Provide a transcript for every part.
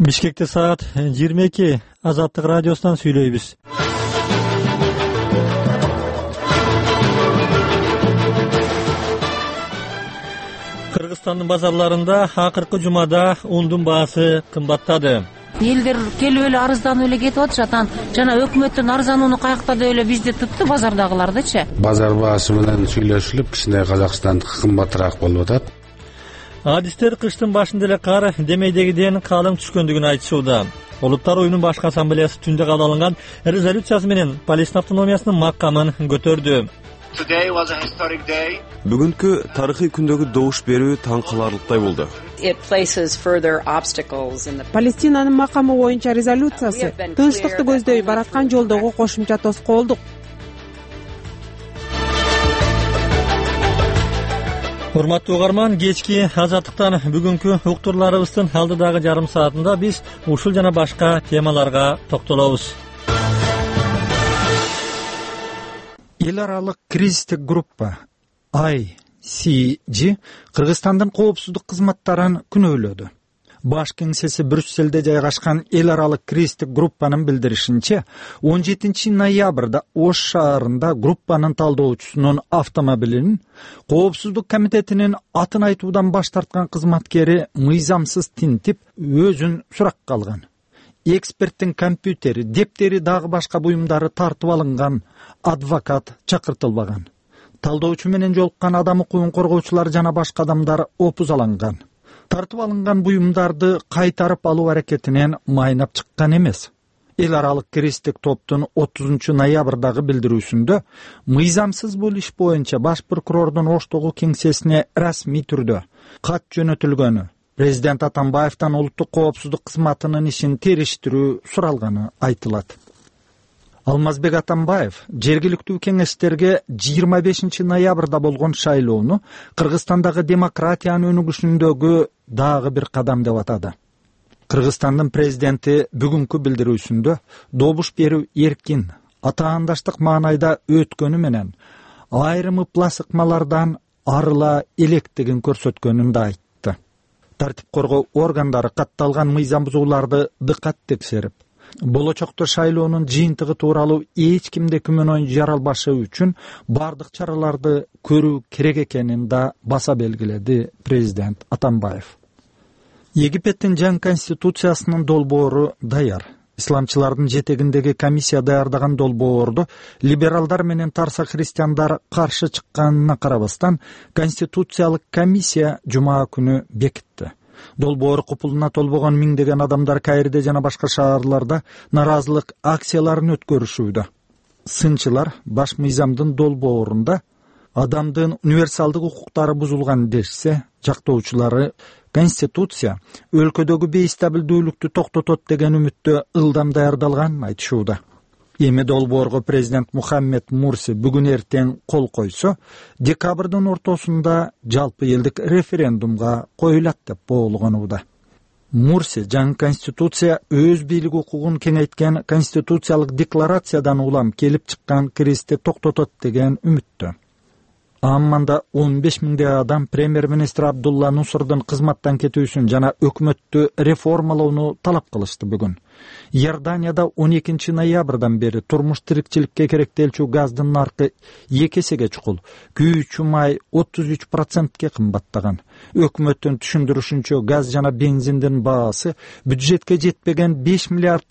Бишкекте саат 22. Азаттык радиосунан сүйлөйбүз. Кыргызстандын базарларында акыркы жумада ундун баасы кымбаттады. Элдер келип эле арызданып эле кетип атышат. Жана өкмөттөн арызданууну каякта деп эле бизди тутту, базардагылардычы. Базар баасы менен сүйлөшүлүп, кичине Казакстандыкы кымбатыраак болуп атат. Адистер кыштын башында эле кар демейдегиден калың түшкөндүгүн айтышууда. Улуттар уюмунун башкы ассамблеясы түндө кабыл алынган резолюциясы менен Палестина автономиясынын макамын көтөрдү. Бүгүнкү тарыхый күндөгү добуш берүү таң каларлыктай болду. Палестинанын макамы боюнча резолюциясы тынчтыкты көздөй бараткан жолдогу кошумча тоскоолдук. Урматтуу угарман, кечки Азаттыктан бүгүнкү уктурларыбыздын алдыдагы жарым саатында биз ушул жана башка темаларга токтолобуз. Эл аралык кризистик группа ICG Кыргызстандын коопсуздук кызматтарын күнөөлөдү. Баш кеңсеси Брюсселде жайгашкан эл аралык кризистик группанын билдиришинче, 17 ноябрда Ош шаарында группанын талдоочусунун автомобилин коопсуздук комитетинин атын айтуудан баш тарткан кызматкери мыйзамсыз тинтип, өзүн суракка алган. Эксперттин компьютери, дептери дагы башка буюмдары тартып алынган, адвокат чакыртылбаган. Талдоочу менен жолуккан адам укугун коргоочулар жана башка адамдар опузаланган. Тартып алынган буюмдарды кайтарып алуу аракетинен майнап чыккан эмес. Эл аралык кризистик топтун 30 ноябрдагы билдирүүсүндө мыйзамсыз бул иш боюнча баш прокурордун Оштогу кеңсесине расмий түрдө кат жөнөтүлгөнү, президент Атамбаевден улуттук коопсуздук кызматынын ишин териштирүү суралганы айтылат. Алмазбек Атамбаев жергиликтүү кеңештерге 25 ноябрда болгон шайлоону Кыргызстандагы демократиянын өнүгүшүндөгү дагы бир кадам деп атады. Кыргызстандын президенти бүгүнкү билдирүүсүндө добуш берүү эркин, атаандаштык маанайда өткөнү менен айрым ыпласыкмалардан арыла электигин көрсөткөнүн да айтты. Тартип коргоо органдары катталган мыйзам бузууларды дыкат текшерип, болочокто шайлоонун жыйынтыгы тууралуу эч кимде күмөнө жаралбашы үчүн бардык чараларды көрүү керек экенин да баса белгиледи президент Атамбаев. Египеттин жаңы конституциясынын долбоору даяр. Исламчылардын жетегиндеги комиссия даярдаган долбоорду либералдар менен тарса христиандар каршы чыкканына карабастан, конституциялык комиссия жума күнү бекитти. Долбоор купулуна толбогон миңдеген адамдар Каирде жана башка шаарларда наразылык акцияларын өткөрүшүүдө. Сынчылар баш мыйзамдын долбоорунда адамдын универсалдык укуктары бузулган дешсе, жактоочулары Конституция өлкөдөгү бейстабилдүүлүктү токтотот деген үмүттө ылдам даярдалганын айтышууда. Эми долбоорго президент Мухаммед Мурси бүгүн эртең кол койсо, декабрдын ортосунда жалпы элдик референдумга коюлат деп боолгонууда. Мурси жаңы конституция өз бийлик укугун кеңейткен конституциялык декларациядан улам келип чыккан кризисти токтотот деген үмүттө. Амманда 15 миңдей адам премьер-министр Абдулла Нусрдун кызматтан кетүүсүн жана өкмөттү реформалоону талап кылышты бүгүн. Иорданияда 12 ноябрдан бери турмуш тирикчиликке керектелчү газдын наркы 2 эсеге чукул, күйүүчү май 33%ке кымбаттаган. Өкмөттүн түшүндүрүшүнчө газ жана бензиндин баасы бюджетке жетпеген $5 миллиард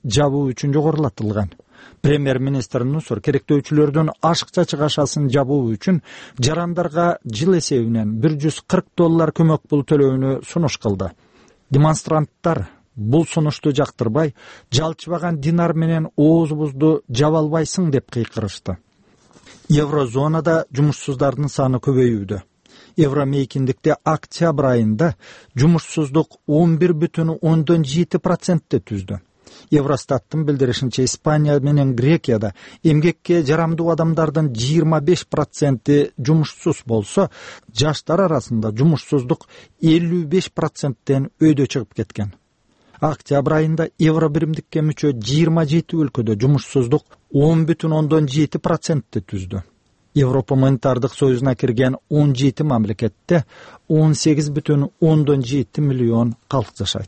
жабуу үчүн жогорулатылган. Премьер-министр Нуср керектөөчүлөрдүн ашыкча чыгашасын жабуу үчүн жарандарга жыл эсебинен $140 көмөк пул төлөөнү сунуш кылды. Демонстранттар бул сунушту жактырбай, жалчыбаган динар менен оозубузду жаба албайсың деп кыйкырышты. Еврозонада жумушсуздардын саны көбөйүүдө. Евромейкиндикте октябрь айында жумушсуздук 11,7% түздү. Евростаттын билдиришинче Испания менен Грекияда эмгекке жарамдуу адамдардын 25% жумушсуз болсо, жаштар арасында жумушсуздук 55%тен өйдө чыгып кеткен. Октябрь айында евро биримдикке мүчө 27 өлкөдө жумушсуздук 10,7% түздү. Европа монетардык союзуна кирген 17 мамлекетте 18,7 миллион калк жашайт.